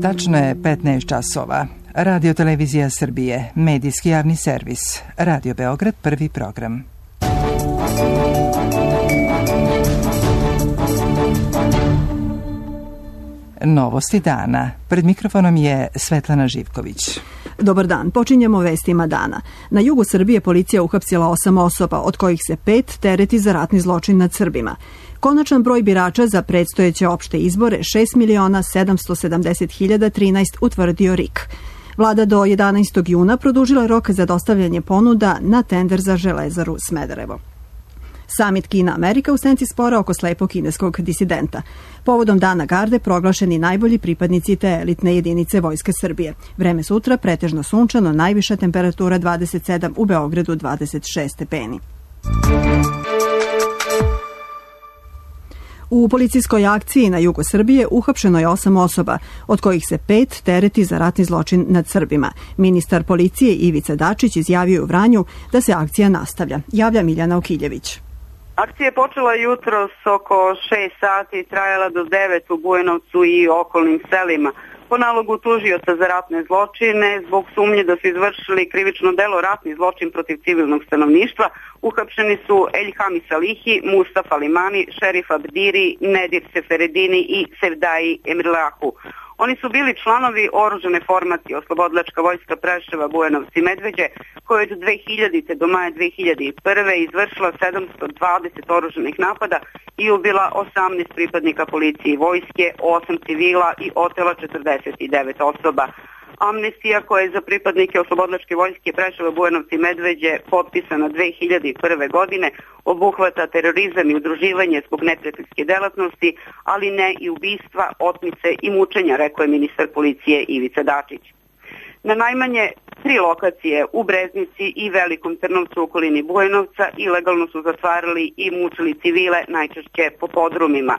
Tačno je 15 časova. Radio Televizija Srbije, medijski javni servis. Radio Beograd, prvi program. Novosti dana. Pred mikrofonom je Svetlana Živković. Dobar dan, počinjemo vestima dana. Na jugu Srbije policija uhapsila 8 osoba, od kojih se 5 tereti za ratni zločin nad Srbima. Konačan broj birača za predstojeće opšte izbore 6.770.013 utvrdio RIK. Vlada do 11. juna produžila rok za dostavljanje ponuda na tender za Železaru Smederevo. Samit Kina-Amerika u senci spora oko slepog kineskog disidenta. Povodom Dana garde proglašeni najbolji pripadnici te elitne jedinice Vojske Srbije. Vreme sutra pretežno sunčano, najviša temperatura 27, u Beogradu 26 stepeni. U policijskoj akciji na jugu Srbije uhapšeno je 8 osoba, od kojih se 5 tereti za ratni zločin nad Srbima. Ministar policije Ivica Dačić izjavio u Vranju da se akcija nastavlja. Javlja Miljana Okiljević. Akcija je počela jutros oko 6 sati i trajala do 9 u Bujanovcu i okolnim selima. Po nalogu tužioca za ratne zločine, zbog sumnje da su izvršili krivično delo ratni zločin protiv civilnog stanovništva, uhapšeni su Eljhami Salihi, Mustafa Limani, Šerif Abdiri, Nedir Seferedini i Sevdaji Emrilahu. Oni su bili članovi oružane formacije Oslobodilačka vojska Preševa, Bujanovci, Medveđe, koja je od 2000. do maja 2001. izvršila 720 oružanih napada i ubila 18 pripadnika policije i vojske, 8 civila i otela 49 osoba. Amnestija koja je za pripadnike Oslobodilačke vojske Preševa, Bujanovci i Medveđe potpisana 2001. godine obuhvata terorizam i udruživanje zbog neprijateljske delatnosti, ali ne i ubistva, otmice i mučenja, rekao je ministar policije Ivica Dačić. Na najmanje 3 lokacije u Breznici i Velikom Trnovcu u okolini Bujanovca ilegalno su zatvarali i mučili civile, najčešće po podrumima.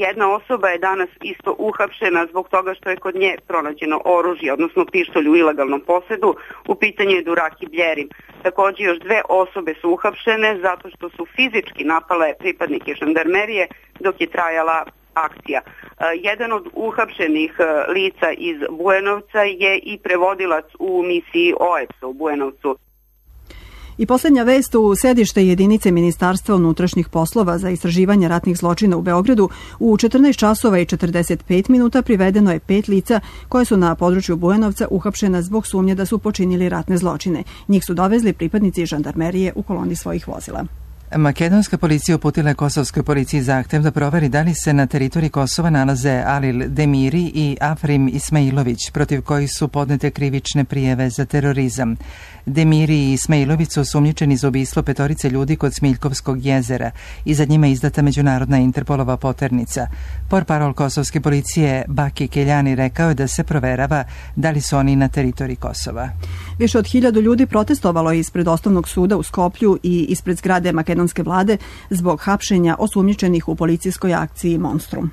Jedna osoba je danas isto uhapšena zbog toga što je kod nje pronađeno oružje, odnosno pištolj u ilegalnom posedu. U pitanju je Duraki Bljerin. Također još 2 osobe su uhapšene zato što su fizički napale pripadnike žandarmerije dok je trajala akcija. Jedan od uhapšenih lica iz Bujanovca je i prevodilac u misiji OEPS-a u Bujanovcu. I posljednja vest, u sedište jedinice Ministarstva unutrašnjih poslova za istraživanje ratnih zločina u Beogradu u 14 časova i 45 minuta privedeno je 5 lica koje su na području Bujanovca uhapšena zbog sumnje da su počinili ratne zločine. Njih su dovezli pripadnici žandarmerije u koloni svojih vozila. Makedonska policija uputila je kosovskoj policiji zahtev da proveri da li se na teritoriji Kosova nalaze Alil Demiri i Afrim Ismailović, protiv kojih su podnete krivične prijeve za terorizam. Demiri i Ismailović su osumnjičeni za ubistvo 5 ljudi kod Smiljkovskog jezera i za njima izdata međunarodna Interpolova poternica. Portparol kosovske policije Baki Keljani rekao je da se proverava da li su oni na teritoriji Kosova. Više od 1000 ljudi protestovalo je ispred Osnovnog suda u Skoplju i ispred zgrade makedonske vlade zbog hapšenja osumnjičenih u policijskoj akciji Monstrum.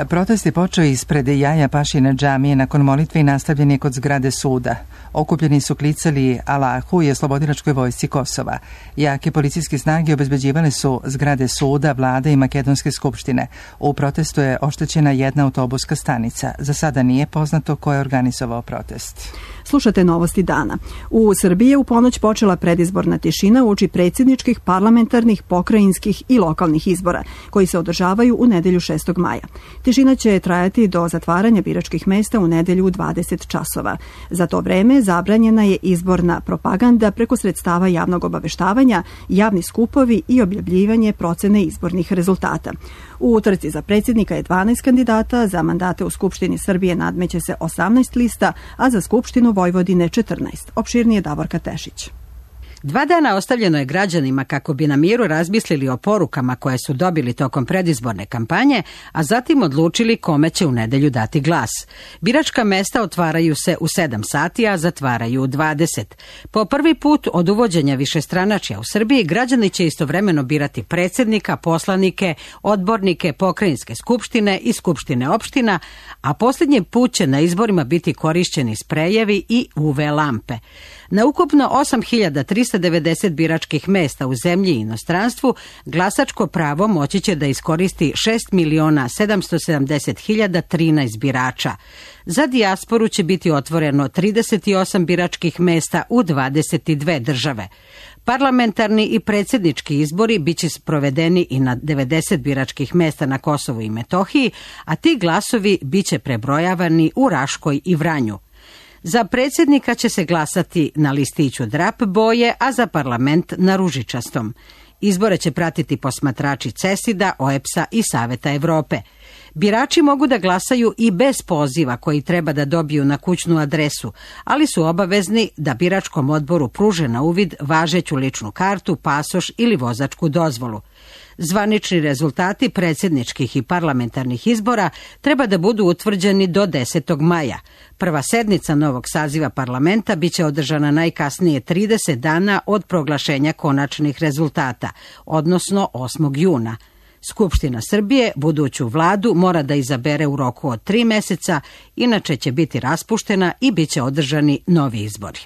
Protest je počeo ispred Jaja Pašina džamije nakon molitve i nastavljen je kod zgrade suda. Okupljeni su klicali Alahu i Oslobodilačkoj vojsci Kosova. Jake policijske snage obezbeđivale su zgrade suda, vlade i Makedonske skupštine. U protestu je oštećena jedna autobuska stanica. Za sada nije poznato ko je organizovao protest. Slušate novosti dana. U Srbiji je u ponoć počela predizborna tišina uoči predsjedničkih, parlamentarnih, pokrajinskih i lokalnih izbora, koji se održavaju u nedelju 6. maja. Tišina će trajati do zatvaranja biračkih mesta u nedelju u 20 časova. Za to vreme zabranjena je izborna propaganda preko sredstava javnog obaveštavanja, javni skupovi i objavljivanje procene izbornih rezultata. U utrci za predsjednika je 12 kandidata, za mandate u Skupštini Srbije nadmeće se 18 lista, a za Skupštinu Vojvodine 14. Opširnije Davorka Tešić. 2 dana ostavljeno je građanima kako bi na miru razmislili o porukama koje su dobili tokom predizborne kampanje, a zatim odlučili kome će u nedelju dati glas. Biračka mesta otvaraju se u 7 sati, a zatvaraju u 20. Po prvi put od uvođenja višestranačja u Srbiji građani će istovremeno birati predsjednika, poslanike, odbornike, pokrajinske skupštine i skupštine opština, a posljednji put će na izborima biti korišćeni sprejevi i UV lampe. Na ukupno 8.300 sa 90 biračkih mesta u zemlji i inostranstvu, glasačko pravo moći će da iskoristi 6.770.013 birača. Za dijasporu će biti otvoreno 38 biračkih mesta u 22 države. Parlamentarni i predsjednički izbori biće sprovedeni i na 90 biračkih mesta na Kosovu i Metohiji, a ti glasovi biće prebrojavani u Raškoj i Vranju. Za predsjednika će se glasati na listiću drap boje, a za parlament na ružičastom. Izbore će pratiti posmatrači CESID-a, OEBS-a i Saveta Evrope. Birači mogu da glasaju i bez poziva koji treba da dobiju na kućnu adresu, ali su obavezni da biračkom odboru pruže na uvid važeću ličnu kartu, pasoš ili vozačku dozvolu. Zvanični rezultati predsjedničkih i parlamentarnih izbora treba da budu utvrđeni do 10. maja. Prva sednica novog saziva parlamenta biće održana najkasnije 30 dana od proglašenja konačnih rezultata, odnosno 8. juna. Skupština Srbije buduću vladu mora da izabere u roku od 3 meseca, inače će biti raspuštena i biće održani novi izbori.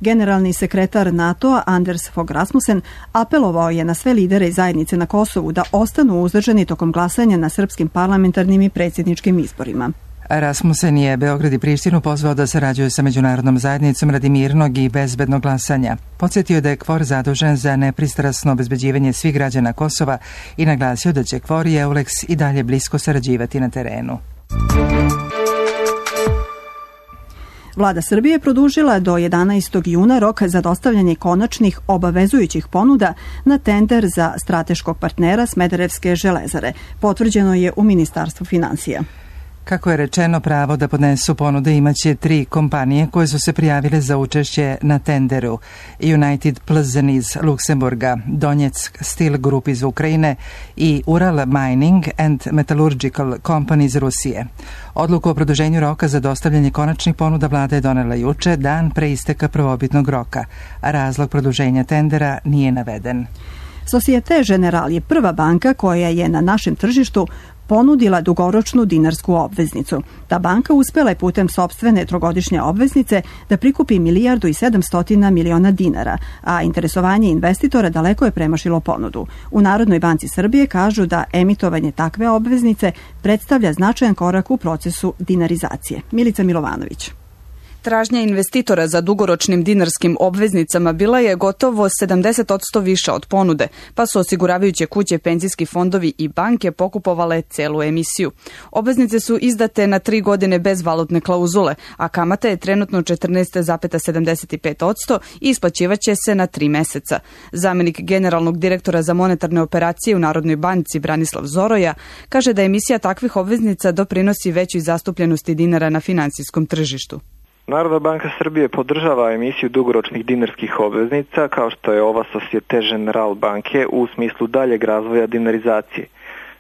Generalni sekretar NATO-a Anders Fogh Rasmussen apelovao je na sve lidere i zajednice na Kosovu da ostanu uzdržani tokom glasanja na srpskim parlamentarnim i predsjedničkim izborima. Rasmussen je Beograd i Prištinu pozvao da sarađuju sa međunarodnom zajednicom radi mirnog i bezbednog glasanja. Podsjetio da je KFOR zadužen za nepristrasno obezbeđivanje svih građana Kosova i naglasio da će KFOR i EULEX i dalje blisko sarađivati na terenu. Vlada Srbije produžila do 11. juna rok za dostavljanje konačnih obavezujućih ponuda na tender za strateškog partnera Smederevske železare. Potvrđeno je u Ministarstvu finansija. Kako je rečeno, pravo da podnesu ponude imaće 3 kompanije koje su se prijavile za učešće na tenderu. United Plzeň iz Luksemburga, Donjeck Steel Group iz Ukrajine i Ural Mining and Metallurgical Company iz Rusije. Odluku o produženju roka za dostavljanje konačnih ponuda vlada je donela juče, dan pre isteka prvobitnog roka, a razlog produženja tendera nije naveden. Societe Generale je prva banka koja je na našem tržištu ponudila dugoročnu dinarsku obveznicu. Ta banka uspela je putem sopstvene trogodišnje obveznice da prikupi 1.700 miliona dinara, a interesovanje investitora daleko je premašilo ponudu. U Narodnoj banci Srbije kažu da emitovanje takve obveznice predstavlja značajan korak u procesu dinarizacije. Milica Milovanović. Tražnja investitora za dugoročnim dinarskim obveznicama bila je gotovo 70% više od ponude, pa su osiguravajuće kuće, penzijski fondovi i banke pokupovale celu emisiju. Obveznice su izdate na 3 godine bez valutne klauzule, a kamata je trenutno 14,75% i isplaćivaće se na 3 meseca. Zamenik generalnog direktora za monetarne operacije u Narodnoj banci Branislav Zoroja kaže da emisija takvih obveznica doprinosi većoj zastupljenosti dinara na finansijskom tržištu. Narodna banka Srbije podržava emisiju dugoročnih dinarskih obveznica kao što je ova Societe Generale banke u smislu daljeg razvoja dinarizacije.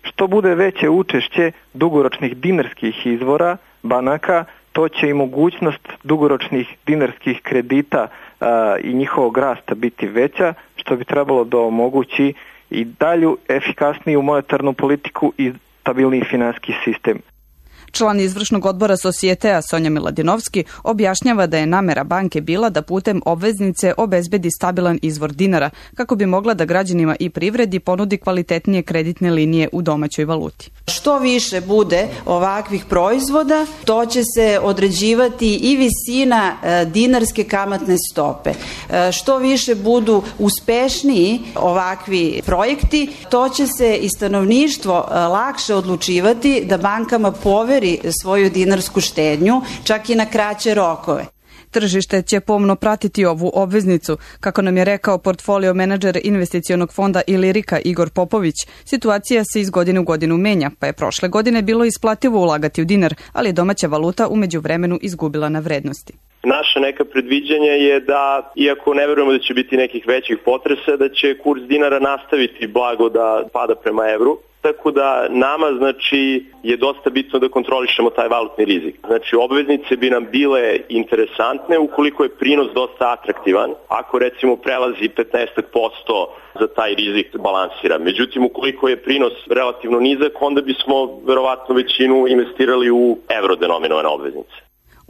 Što bude veće učešće dugoročnih dinarskih izvora banaka, to će i mogućnost dugoročnih dinarskih kredita i njihovog rasta biti veća, što bi trebalo da omogući i dalju efikasniju monetarnu politiku i stabilniji finansijski sistem. Član izvršnog odbora Societea Sonja Miladinovski objašnjava da je namera banke bila da putem obveznice obezbedi stabilan izvor dinara kako bi mogla da građanima i privredi ponudi kvalitetnije kreditne linije u domaćoj valuti. Što više bude ovakvih proizvoda, to će se određivati i visina dinarske kamatne stope. Što više budu uspešniji ovakvi projekti, to će se i stanovništvo lakše odlučivati da bankama poveri svoju dinarsku štednju, čak i na kraće rokove. Tržište će pomno pratiti ovu obveznicu. Kako nam je rekao portfolio menadžer investicionog fonda Ilirika Igor Popović, situacija se iz godine u godinu menja, pa je prošle godine bilo isplativo ulagati u dinar, ali je domaća valuta u međuvremenu izgubila na vrednosti. Naše neka predviđanja je da, iako ne verujemo da će biti nekih većih potresa, da će kurs dinara nastaviti blago da pada prema evru. Tako da nama je dosta bitno da kontrolišemo taj valutni rizik. Obveznice bi nam bile interesantne ukoliko je prinos dosta atraktivan, ako recimo prelazi 15% za taj rizik balansira. Međutim, ukoliko je prinos relativno nizak, onda bismo verovatno većinu investirali u evro denominovane obveznice.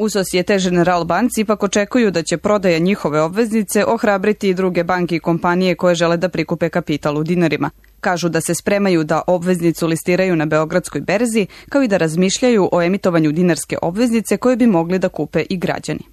U Societe Generale banci ipak očekuju da će prodaja njihove obveznice ohrabriti i druge banke i kompanije koje žele da prikupe kapital u dinarima. Kažu da se spremaju da obveznicu listiraju na Beogradskoj berzi, kao i da razmišljaju o emitovanju dinarske obveznice koje bi mogli da kupe i građani.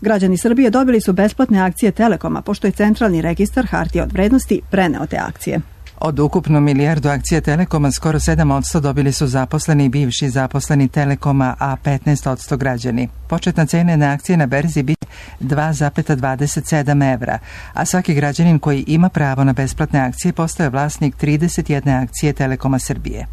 Građani Srbije dobili su besplatne akcije Telekoma, pošto je Centralni registar hartija od vrednosti preneo te akcije. Od ukupno 1 milijardu akcija Telekoma skoro 7% dobili su zaposleni i bivši zaposleni Telekoma, a 15% građani. Početna cena na akcije na berzi biće 2,27 evra, a svaki građanin koji ima pravo na besplatne akcije postaje vlasnik 31 akcije Telekoma Srbije.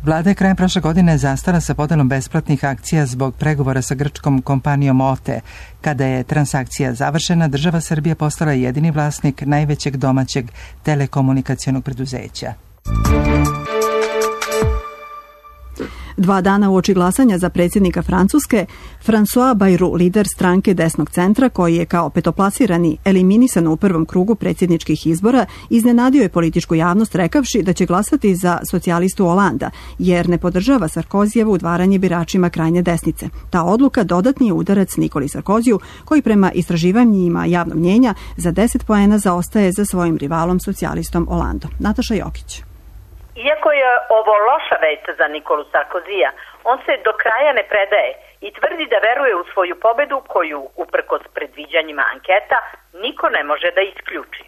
Vlada je krajem prošle godine zastala sa podelom besplatnih akcija zbog pregovora sa grčkom kompanijom OTE. Kada je transakcija završena, država Srbija postala jedini vlasnik najvećeg domaćeg telekomunikacionog preduzeća. 2 dana uoči glasanja za predsjednika Francuske, François Bayrou, lider stranke desnog centra, koji je kao petoplasirani eliminisan u prvom krugu predsjedničkih izbora, iznenadio je političku javnost rekavši da će glasati za socijalistu Holanda, jer ne podržava Sarkozijevo udvaranje biračima krajnje desnice. Ta odluka dodatni je udarac Nikoli Sarkoziju, koji prema istraživanjima javnog mnjenja za 10 poena zaostaje za svojim rivalom socijalistom Holandom. Nataša Jokić. Iako je ovo loša vest za Nikolu Sarkozija, on se do kraja ne predaje i tvrdi da veruje u svoju pobedu koju, uprkos predviđanjima anketa, niko ne može da isključi.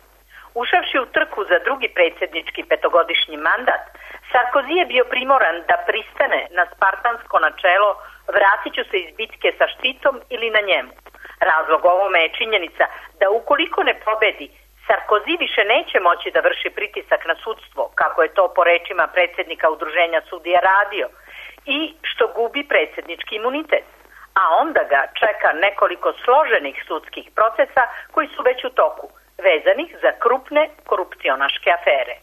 Ušavši u trku za drugi predsjednički petogodišnji mandat, Sarkozy je bio primoran da pristane na spartansko načelo vratit ću se iz bitke sa štitom ili na njemu. Razlog ovome je činjenica da ukoliko ne pobedi, Sarkozy više neće moći da vrši pritisak na sudstvo, kako je to po rečima predsjednika udruženja sudija radio, i što gubi predsjednički imunitet. A onda ga čeka nekoliko složenih sudskih procesa koji su već u toku, vezanih za krupne korupcionaške afere.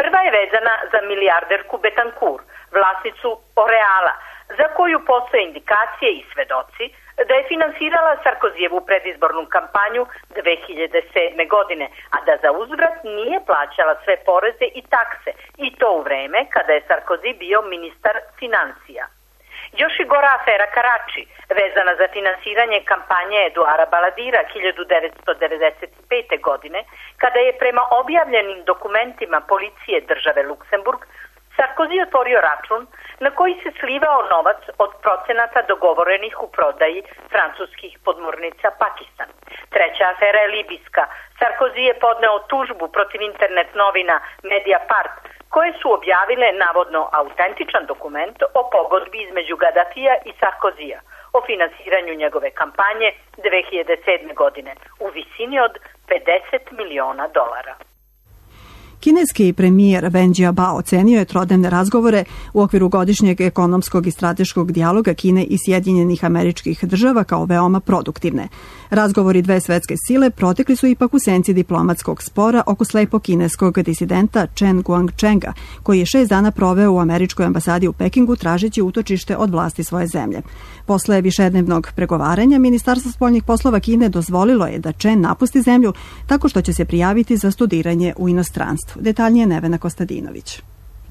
Prva je vezana za milijarderku Betancourt, vlasnicu Oreala, za koju postoje indikacije i svedoci da je finansirala Sarkozijevu predizbornu kampanju 2007. godine, a da za uzvrat nije plaćala sve poreze i takse, i to u vreme kada je Sarkozy bio ministar financija. Još i gora afera Karači, vezana za finansiranje kampanje Eduara Baladira 1995. godine, kada je prema objavljenim dokumentima policije države Luksemburg Sarkozy otvorio račun na koji se slivao novac od procenata dogovorenih u prodaji francuskih podmornica Pakistan. Treća afera je libijska. Sarkozy je podneo tužbu protiv internet novina Mediapart, koje su objavile navodno autentičan dokument o pogodbi između Gaddafija i Sarkozyja o finansiranju njegove kampanje 2007. godine u visini od $50 miliona. Kineski premijer Wen Jiabao ocenio je trodnevne razgovore u okviru godišnjeg ekonomskog i strateškog dijaloga Kine i Sjedinjenih Američkih Država kao veoma produktivne. Razgovori dve svetske sile protekli su ipak u senci diplomatskog spora oko slepog kineskog disidenta Chen Guangchenga, koji je 6 dana proveo u američkoj ambasadi u Pekingu tražeći utočište od vlasti svoje zemlje. Posle višednevnog pregovaranja, Ministarstvo spoljnih poslova Kine dozvolilo je da Chen napusti zemlju tako što će se prijaviti za studiranje u inostranstvu. Detaljnije Nevena Kostadinović.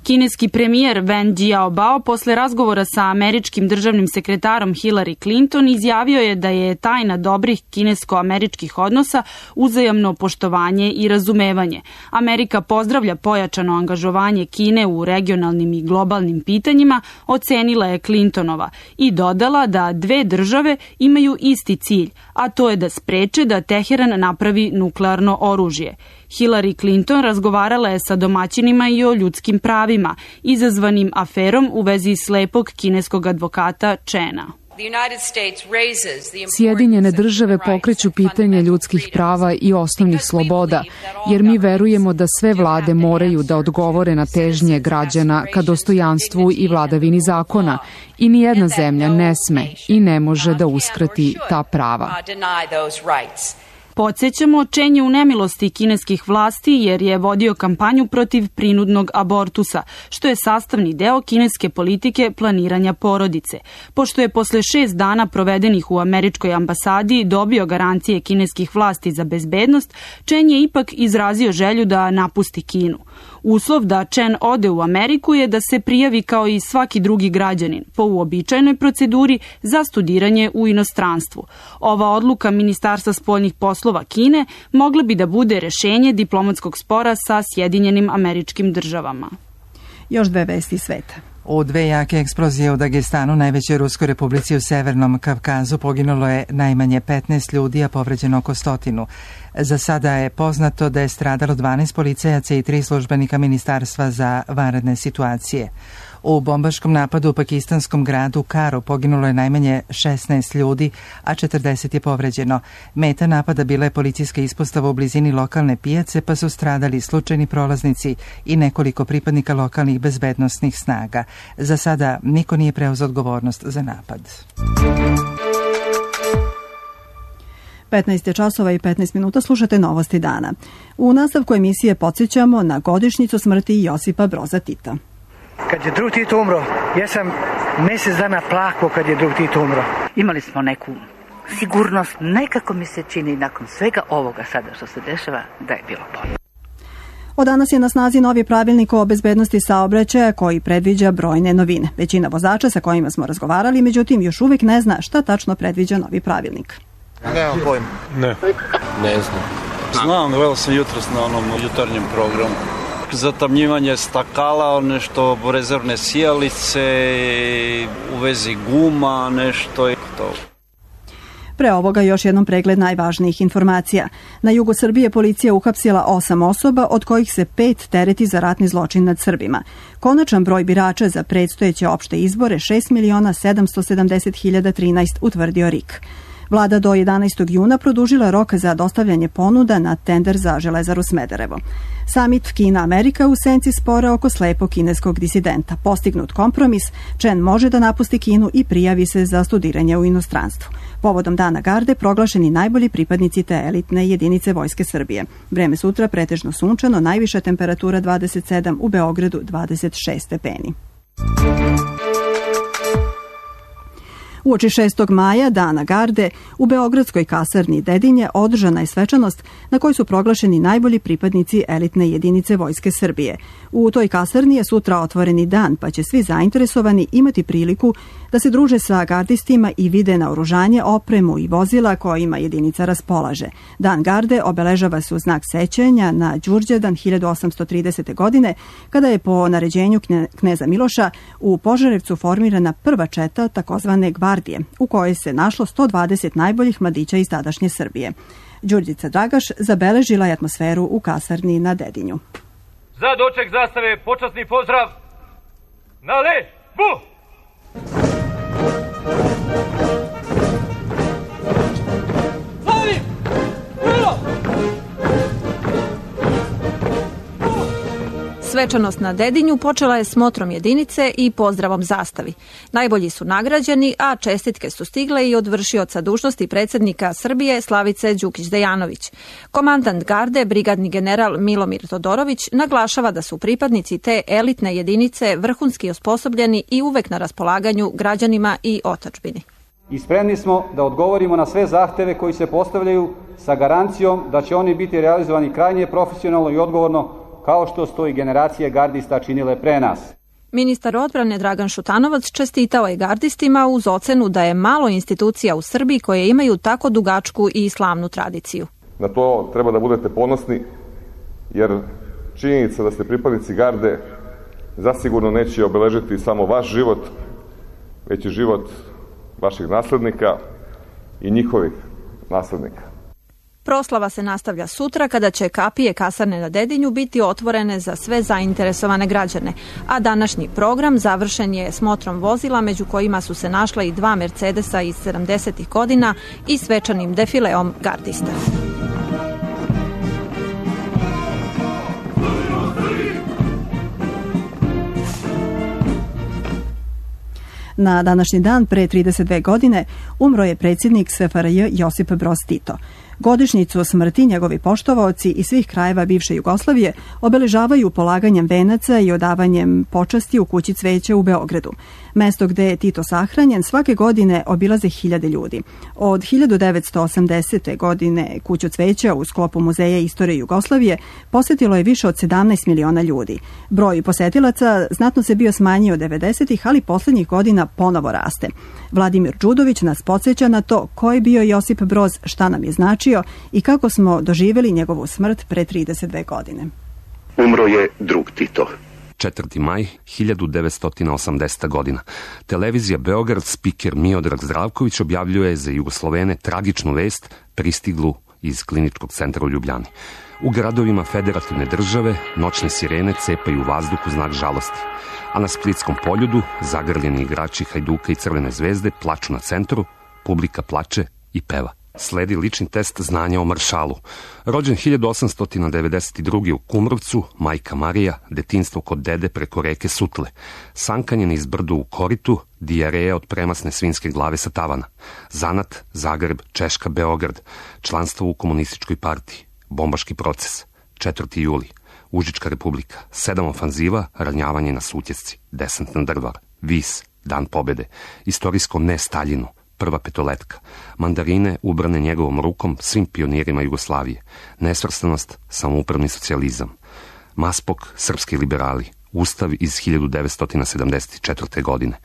Kineski premijer Wen Jiabao posle razgovora sa američkim državnim sekretarom Hillary Clinton izjavio je da je tajna dobrih kinesko-američkih odnosa uzajamno poštovanje i razumevanje. Amerika pozdravlja pojačano angažovanje Kine u regionalnim i globalnim pitanjima, ocenila je Clintonova i dodala da dve države imaju isti cilj, a to je da spreče da Teheran napravi nuklearno oružje. Hillary Clinton razgovarala je sa domaćinima i o ljudskim pravima, izazvanim aferom u vezi slepog kineskog advokata Chena. Sjedinjene države pokreću pitanje ljudskih prava i osnovnih sloboda, jer mi verujemo da sve vlade moraju da odgovore na težnje građana ka dostojanstvu i vladavini zakona i nijedna zemlja ne sme i ne može da uskrati ta prava. Podsećamo, Čen je u nemilosti kineskih vlasti jer je vodio kampanju protiv prinudnog abortusa, što je sastavni deo kineske politike planiranja porodice. Pošto je posle 6 dana provedenih u američkoj ambasadi dobio garancije kineskih vlasti za bezbednost, Čen je ipak izrazio želju da napusti Kinu. Uslov da Čen ode u Ameriku je da se prijavi kao i svaki drugi građanin po uobičajenoj proceduri za studiranje u inostranstvu. Ova odluka Ministarstva spoljnih poslova Kine mogla bi da bude rešenje diplomatskog spora sa Sjedinjenim Američkim Državama. Još 2 vesti sveta. U 2 jake eksplozije u Dagestanu, najvećoj Ruskoj republici u Severnom Kavkazu, poginulo je najmanje 15 ljudi, a povređeno oko 100. Za sada je poznato da je stradalo 12 policajaca i 3 službenika Ministarstva za vanredne situacije. U bombaškom napadu u pakistanskom gradu Karu poginulo je najmanje 16 ljudi, a 40 je povređeno. Meta napada bila je policijska ispostava u blizini lokalne pijace, pa su stradali slučajni prolaznici i nekoliko pripadnika lokalnih bezbednosnih snaga. Za sada niko nije preuzeo odgovornost za napad. 15 časova i 15 minuta, slušate Novosti dana. U nastavku emisije podsjećamo na godišnjicu smrti Josipa Broza Tita. Kad je drug Tito umro, ja sam mjesec dana plakao kad je drug Tito umro. Imali smo neku sigurnost, nekako mi se čini nakon svega ovoga sada što se dešava da je bilo bolje. Od danas je na snazi novi pravilnik o bezbednosti saobraćaja koji predviđa brojne novine. Većina vozača sa kojima smo razgovarali, međutim, još uvijek ne zna šta tačno predviđa novi pravilnik. Nemam pojma. Ne znam. Znam, gledao sam jutros na onom jutarnjem programu. Zatamnjivanje stakala, nešto rezervne sijalice, u vezi guma, nešto i to. Pre ovoga još jednom pregled najvažnijih informacija. Na jugu Srbije policija uhapsila 8 osoba, od kojih se 5 tereti za ratni zločin nad Srbima. Konačan broj birača za predstojeće opšte izbore 6.770.013, utvrdio RIK. Vlada do 11. juna produžila rok za dostavljanje ponuda na tender za Železaru Smederevo. Samit Kina-Amerika u senci spora oko slepog kineskog disidenta. Postignut kompromis, Čen može da napusti Kinu i prijavi se za studiranje u inostranstvu. Povodom Dana garde proglašeni najbolji pripadnici te elitne jedinice Vojske Srbije. Vreme sutra pretežno sunčano, najviša temperatura 27, u Beogradu 26 stepeni. Uoči 6. maja, Dana garde, u beogradskoj kasarni Dedinje održana je svečanost na kojoj su proglašeni najbolji pripadnici elitne jedinice Vojske Srbije. U toj kasarni je sutra otvoreni dan, pa će svi zainteresovani imati priliku da se druže sa gardistima i vide naoružanje, opremu i vozila kojima jedinica raspolaže. Dan garde obeležava se u znak sećanja na Đurđevdan 1830. godine, kada je po naređenju kneza Miloša u Požarevcu formirana prva četa takozvane gvardije, u kojoj se našlo 120 najboljih mladića iz tadašnje Srbije. Đurđica Dragaš zabeležila je atmosferu u kasarni na Dedinju. Za doček zastave počasni pozdrav na lebu! Svečanost na Dedinju počela je smotrom jedinice i pozdravom zastavi. Najbolji su nagrađeni, a čestitke su stigle i od vršioca dužnosti predsjednika Srbije Slavice Đukić-Dejanović. Komandant garde, brigadni general Milomir Todorović, naglašava da su pripadnici te elitne jedinice vrhunski osposobljeni i uvek na raspolaganju građanima i otadžbini. I spremni smo da odgovorimo na sve zahteve koji se postavljaju sa garancijom da će oni biti realizovani krajnje profesionalno i odgovorno, kao što su to i generacije gardista činile pre nas. Ministar odbrane Dragan Šutanovac čestitao je gardistima uz ocenu da je malo institucija u Srbiji koje imaju tako dugačku i slavnu tradiciju. Na to treba da budete ponosni, jer činjenica da ste pripadnici garde zasigurno neće obeležiti samo vaš život, već i život vaših naslednika i njihovih naslednika. Proslava se nastavlja sutra kada će kapije kasarne na Dedinju biti otvorene za sve zainteresovane građane, a današnji program završen je smotrom vozila među kojima su se našla i 2 Mercedesa iz 70. godina i svečanim defileom gardista. Na današnji dan pre 32 godine umro je predsjednik SFRJ Josip Broz Tito. Godišnjicu smrti njegovi poštovaoci iz svih krajeva bivše Jugoslavije obeležavaju polaganjem venaca i odavanjem počasti u kući cveća u Beogradu. Mesto gde je Tito sahranjen svake godine obilaze 1000 ljudi. Od 1980. godine kuću cveća u sklopu Muzeja istorije Jugoslavije posetilo je više od 17 miliona ljudi. Broj posetilaca znatno se bio smanjio 90-ih, ali poslednjih godina ponovo raste. Vladimir Đudović nas podsjeća na to ko je bio Josip Broz, šta nam je značio i kako smo doživjeli njegovu smrt pre 32 godine. Umro je drug Tito. 4. maj 1980. godina. Televizija Beograd, spiker Miodrag Zdravković objavljuje za Jugoslovene tragičnu vest pristiglu iz kliničkog centra u Ljubljani. U gradovima federativne države noćne sirene cepaju vazduh u znak žalosti, a na Splitskom poljudu zagrljeni igrači Hajduka i Crvene zvezde plaču na centru, publika plače i peva. Sledi lični test znanja o maršalu. Rođen 1892. u Kumrovcu, majka Marija, detinjstvo kod dede preko reke Sutle. Sankanje niz brdu u koritu, dijareja od premasne svinjske glave sa tavana. Zanat, Zagreb, Češka, Beograd. Članstvo u komunističkoj partiji. Bombaški proces. 4. juli. Užička republika. 7 ofanziva, ranjavanje na Sutjesci. Desant na Drvar. Vis. Dan pobede. Istorijsko ne Staljinu. Prva petoletka. Mandarine ubrane njegovom rukom svim pionirima Jugoslavije. Nesvrstanost, samoupravni socijalizam. Maspok, srpski liberali. Ustav iz 1974. godine.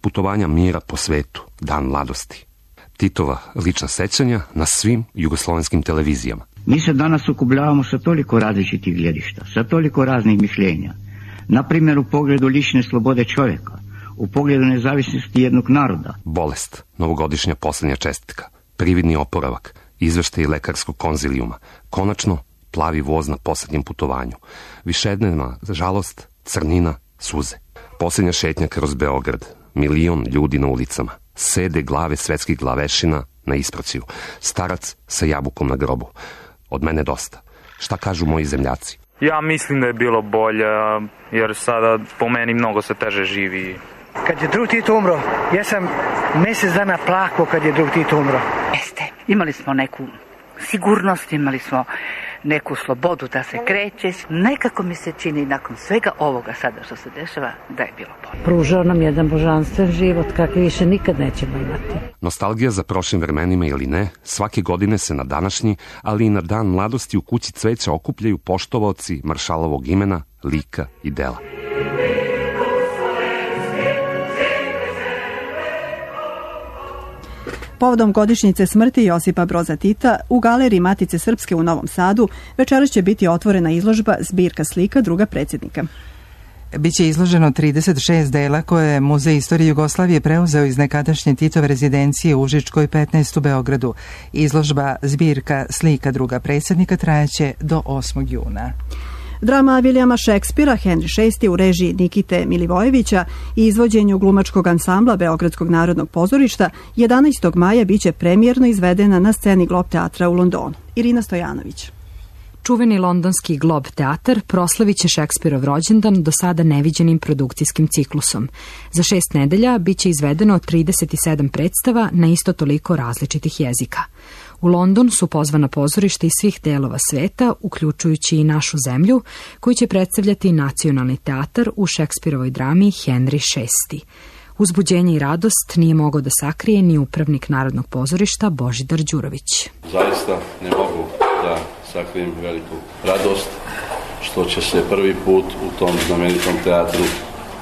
Putovanja mira po svetu. Dan mladosti. Titova lična sećanja na svim jugoslovenskim televizijama. Mi se danas sukobljavamo sa toliko različitih gledišta, sa toliko raznih mišljenja. Na primjer u pogledu lične slobode čovjeka, u pogledu nezavisnosti jednog naroda. Bolest, novogodišnja posljednja čestitka, prividni oporavak, izveštaj lekarskog konzilijuma, konačno plavi voz na posljednjem putovanju, višednevna žalost, crnina, suze. Posljednja šetnja kroz Beograd, 1 milion ljudi na ulicama, sede glave svetskih glavešina na ispraciju, starac sa jabukom na grobu. Od mene dosta. Šta kažu moji zemljaci? Ja mislim da je bilo bolje, jer sada po meni mnogo se teže živi. Kad je drug Tito umro, ja sam mjesec dana plakao kad je drug Tito umro. Jeste, imali smo neku sigurnost, imali smo neku slobodu da se kreće. Nekako mi se čini nakon svega ovoga sada što se dešava da je bilo bolje. Pružao nam jedan božanstven život kakvi više nikad nećemo imati. Nostalgija za prošlim vremenima ili ne, svake godine se na današnji, ali i na dan mladosti u kući cveća okupljaju poštovaoci maršalovog imena, lika i dela. Povodom godišnjice smrti Josipa Broza Tita u galeriji Matice Srpske u Novom Sadu večeras će biti otvorena izložba Zbirka slika druga predsjednika. Biće izloženo 36 dela koje je Muzej istorije Jugoslavije preuzeo iz nekadašnje Titove rezidencije u Užičkoj 15 u Beogradu. Izložba Zbirka slika druga predsjednika trajaće do 8. juna. Drama Vilijama Šekspira Henry VI u režiji Nikite Milivojevića i izvođenju glumačkog ansambla Beogradskog narodnog pozorišta 11. maja biće premijerno izvedena na sceni Glob teatra u Londonu. Irina Stojanović. Čuveni londonski Glob teatar proslavit će Šekspirov rođendan do sada neviđenim produkcijskim ciklusom. Za 6 nedelja biće izvedeno 37 predstava na isto toliko različitih jezika. U London su pozvana pozorišta iz svih delova sveta, uključujući i našu zemlju, koji će predstavljati nacionalni teatar u Šekspirovoj drami Henry VI. Uzbuđenje i radost nije mogao da sakrije ni upravnik Narodnog pozorišta Božidar Đurović. Zaista ne mogu da sakrijem veliku radost što će se prvi put u tom znamenitom teatru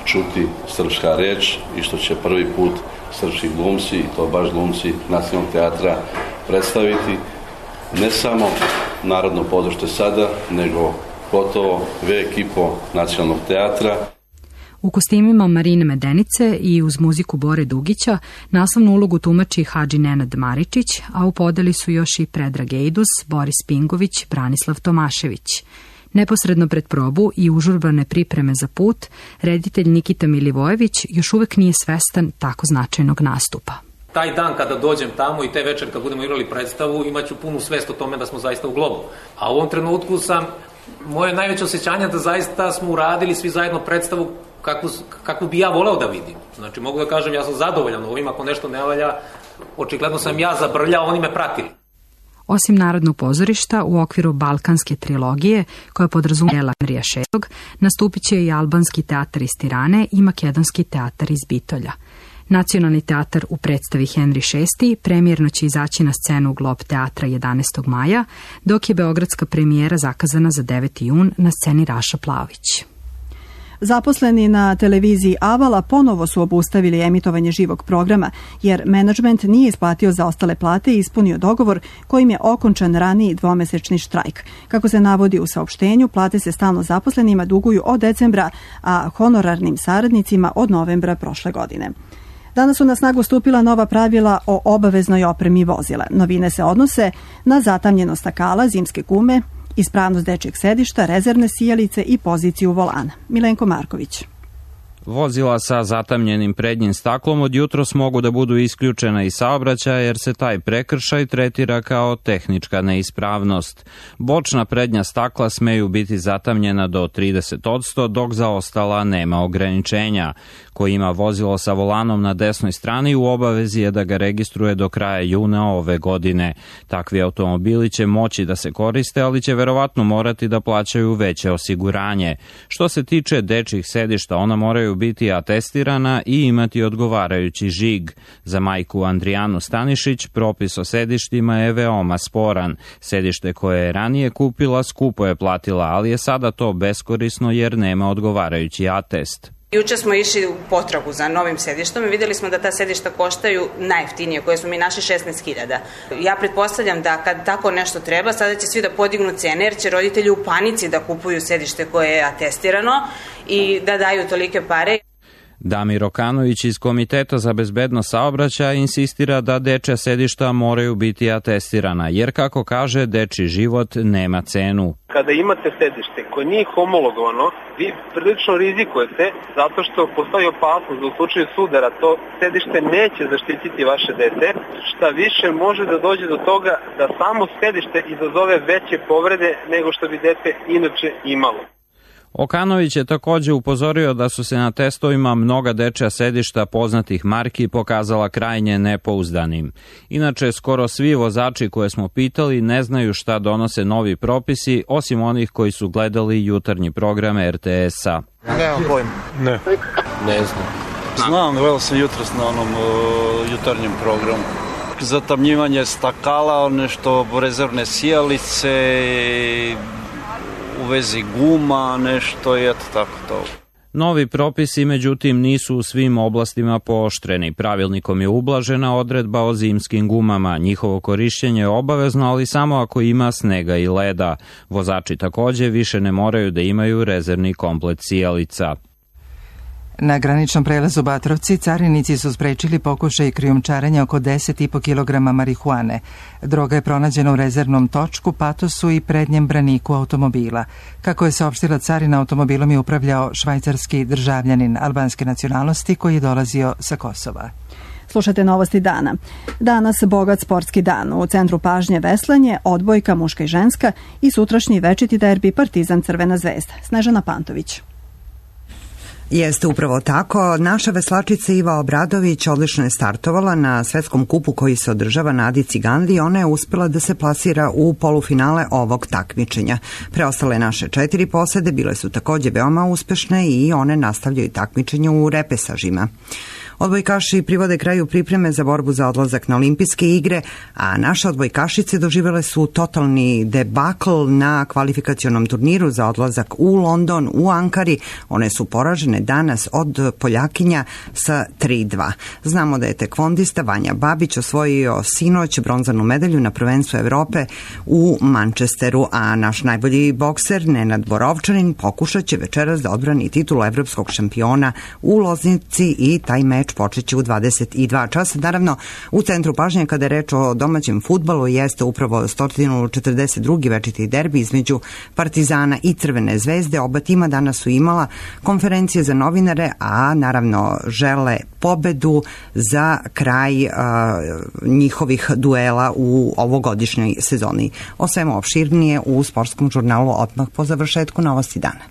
čuti srpska reč i što će prvi put srpski glumci, i to baš glumci Nacionalnog teatra, predstaviti ne samo Narodno pozorište sada, nego gotovo ve ekipo Nacionalnog teatra. U kostimima Marine Medenice i uz muziku Bore Dugića naslovnu ulogu tumači Hadži Nenad Maričić, a u podeli su još i Predrag Ejdus, Boris Pingović, Branislav Tomašević. Neposredno pred probu i užurbane pripreme za put, reditelj Nikita Milivojević još uvek nije svestan tako značajnog nastupa. Taj dan kada dođem tamo i te večer kad budemo igrali predstavu, imaću punu svest o tome da smo zaista u Globu. A u ovom trenutku moje najveće osjećanje da zaista smo uradili svi zajedno predstavu kakvu bi ja voleo da vidim. Znači, mogu da kažem, ja sam zadovoljan ovim, ako nešto ne valja, očigledno sam ja zabrljao, oni me pratili. Osim Narodnog pozorišta, u okviru Balkanske trilogije, koja podrazumijeva Henrija VI, nastupit će i Albanski teatar iz Tirane i Makedonski teatar iz Bitolja. Nacionalni teatar u predstavi Henri VI premijerno će izaći na scenu Glob teatra 11. maja, dok je beogradska premijera zakazana za 9. jun na sceni Raša Plavić. Zaposleni na televiziji Avala ponovo su obustavili emitovanje živog programa, jer menadžment nije isplatio zaostale plate i ispunio dogovor kojim je okončan raniji dvomesečni štrajk. Kako se navodi u saopštenju, plate se stalno zaposlenima duguju od decembra, a honorarnim saradnicima od novembra prošle godine. Danas su na snagu stupila nova pravila o obaveznoj opremi vozila. Novine se odnose na zatamnjenost stakala, zimske gume, ispravnost dečjeg sedišta, rezervne sijalice i poziciju volana. Milenko Marković. Vozila sa zatamnjenim prednjim staklom od jutros mogu da budu isključena iz saobraćaja jer se taj prekršaj tretira kao tehnička neispravnost. Bočna prednja stakla smeju biti zatamnjena do 30%, dok za ostala nema ograničenja. Ko ima vozilo sa volanom na desnoj strani u obavezi je da ga registruje do kraja juna ove godine. Takvi automobili će moći da se koriste, ali će verovatno morati da plaćaju veće osiguranje. Što se tiče dečjih sedišta, ona moraju biti atestirana i imati odgovarajući žig. Za majku Andrijanu Stanišić propis o sedištima je veoma sporan. Sedište koje je ranije kupila skupo je platila, ali je sada to beskorisno jer nema odgovarajući atest. Juče smo išli u potragu za novim sedištom i vidjeli smo da ta sedišta koštaju najjeftinije, koje smo mi našli 16.000. Ja pretpostavljam da kad tako nešto treba, sada će svi da podignu cene jer će roditelji u panici da kupuju sedište koje je atestirano i da daju tolike pare. Damir Okanović iz Komiteta za bezbednost saobraćaja insistira da dečja sedišta moraju biti atestirana, jer kako kaže, dečji život nema cenu. Kada imate sedište koje nije homologovano, vi prilično rizikujete zato što postoji opasnost da u slučaju sudara to sedište neće zaštititi vaše dete, šta više može da dođe do toga da samo sedište izazove veće povrede nego što bi dete inače imalo. Okanović je također upozorio da su se na testovima mnoga dečja sedišta poznatih marki pokazala krajnje nepouzdanim. Inače, skoro svi vozači koje smo pitali ne znaju šta donose novi propisi, osim onih koji su gledali jutarnji program RTS-a. Nemam pojma. Ne znam. Znam, gledao sam jutros na onom jutarnjem programu. Zatamnjivanje stakala, nešto rezervne sijalice, u vezi guma, nešto i eto tako to. Novi propisi, međutim, nisu u svim oblastima pooštreni. Pravilnikom je ublažena odredba o zimskim gumama. Njihovo korišćenje je obavezno, ali samo ako ima snega i leda. Vozači također više ne moraju da imaju rezervni komplet sijalica. Na graničnom prelazu Batrovci carinici su sprečili pokušaj krijumčarenja oko 10,5 kg marihuane. Droga je pronađena u rezervnom točku, patosu i prednjem braniku automobila. Kako je saopštila carina, automobilom je upravljao švajcarski državljanin albanske nacionalnosti koji je dolazio sa Kosova. Slušate novosti dana. Danas bogat sportski dan. U centru pažnje veslanje, odbojka muška i ženska i sutrašnji večiti derbi Partizan Crvena zvezda. Snežana Pantović. Jeste upravo tako. Naša veslačica Iva Obradović odlično je startovala na svetskom kupu koji se održava na Adi Ciganli i ona je uspjela da se plasira u polufinale ovog takmičenja. Preostale naše 4 posede bile su također veoma uspešne i one nastavljaju takmičenje u repesažima. Odbojkaši privode kraju pripreme za borbu za odlazak na olimpijske igre, a naše odbojkašice doživjele su totalni debakl na kvalifikacionom turniru za odlazak u London, u Ankari. One su poražene danas od Poljakinja sa 3:2. Znamo da je tekvondista Vanja Babić osvojio sinoć bronzanu medalju na prvenstvu Evrope u Manchesteru, a naš najbolji bokser Nenad Borovčanin pokušat će večeras da odbrani titulu evropskog šampiona u Loznici i taj meč počeće u 22 časa. Naravno, u centru pažnje kada je reč o domaćem fudbalu jeste upravo 142. večiti derbi između Partizana i Crvene zvezde. Oba tima danas su imala konferencije za novinare, a naravno žele pobedu za kraj njihovih duela u ovogodišnjoj sezoni. O svemu opširnije u sportskom žurnalu odmah po završetku novosti dana.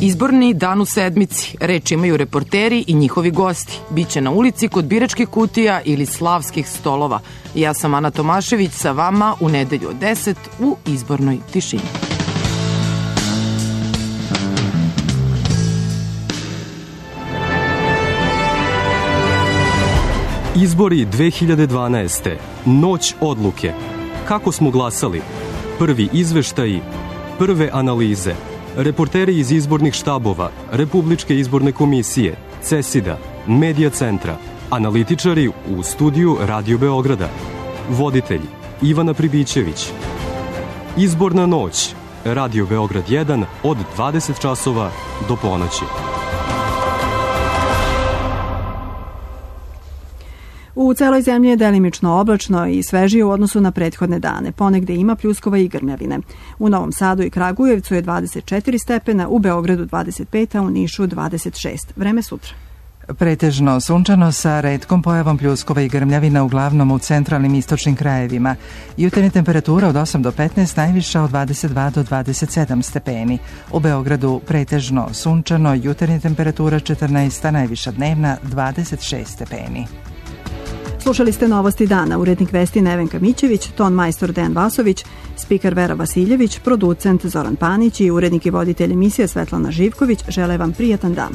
Izborni dan u sedmici. Reč imaju reporteri i njihovi gosti. Biće na ulici kod biračkih kutija ili slavskih stolova. Ja sam Ana Tomašević sa vama u nedelju od 10 u izbornoj tišini. Izbori 2012. Noć odluke. Kako smo glasali? Prvi izveštaji, prve analize. Reporteri iz izbornih štabova, Republičke izborne komisije, CESID-a, Medija centra, analitičari u studiju Radio Beograda. Voditelj Ivana Pribićević. Izborna noć, Radio Beograd 1 od 20 časova do ponoći. U celoj zemlji je delimično oblačno i svežije u odnosu na prethodne dane. Ponegde ima pljuskova i grmljavine. U Novom Sadu i Kragujevcu je 24 stepena, u Beogradu 25, a u Nišu 26. Vreme sutra. Pretežno sunčano sa retkom pojavom pljuskova i grmljavina uglavnom u centralnim istočnim krajevima. Jutarnja temperatura od 8 do 15, najviša od 22 do 27 stepeni. U Beogradu pretežno sunčano, jutarnja temperatura 14, a najviša dnevna 26 stepeni. Slušali ste Novosti dana, urednik vesti Nevenka Mićević, ton majstor Dejan Vasović, spiker Vera Vasiljević, producent Zoran Panić i urednik i voditelj emisije Svetlana Živković žele vam prijatan dan.